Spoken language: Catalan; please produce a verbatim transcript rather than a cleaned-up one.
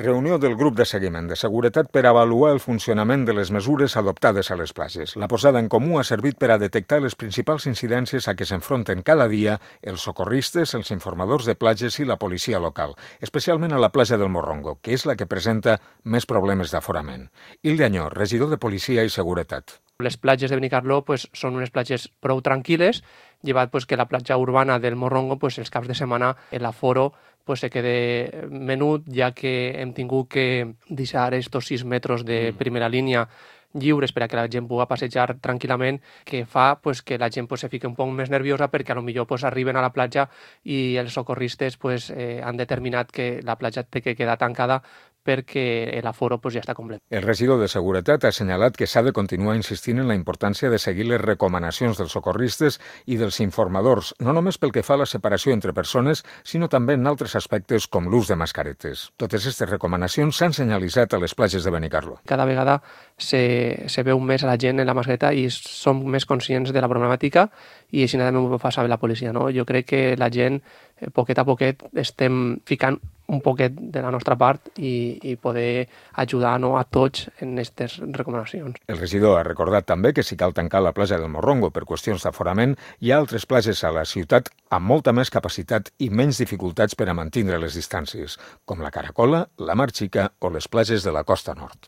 Reunió del grup de seguiment de seguretat per avaluar el funcionament de les mesures adoptades a les platges. La posada en comú ha servit per a detectar les principals incidències a què s'enfronten cada dia els socorristes, els informadors de platges i la policia local, especialment a la platja del Morrongo, que és la que presenta més problemes d'aforament. Hilde Añó, regidor de Policia i Seguretat. Les platges de Benicarló pues, són unes platges prou tranquil·les, llevat pues, que la platja urbana del Morrongo, pues, els caps de setmana, l'aforo pues, se quede menut, ja que hem tingut que deixar estos sis metres de primera línia lliures per a que la gent pugui passejar tranquil·lament, que fa pues, que la gent pues, se fiqui un poc més nerviosa perquè a lo millor pues, arriben a la platja i els socorristes pues, eh, han determinat que la platja té que quedar tancada perquè l'aforo pues, ja està complet. El regidor de Seguretat ha assenyalat que s'ha de continuar insistint en la importància de seguir les recomanacions dels socorristes i dels informadors, no només pel que fa a la separació entre persones, sinó també en altres aspectes com l'ús de mascaretes. Totes aquestes recomanacions s'han senyalitzat a les platges de Benicarló. Cada vegada se, se veu més a la gent en la mascareta i som més conscients de la problemàtica i així també ho fa saber la policia. No? Jo crec que la gent, eh, poquet a poquet, estem ficant un poquet de la nostra part i, i poder ajudar no, a tots en aquestes recomanacions. El regidor ha recordat també que si cal tancar la platja del Morrongo per qüestions d'aforament, hi ha altres platges a la ciutat amb molta més capacitat i menys dificultats per a mantenir les distàncies, com la Caracola, la Mar Xica o les platges de la Costa Nord.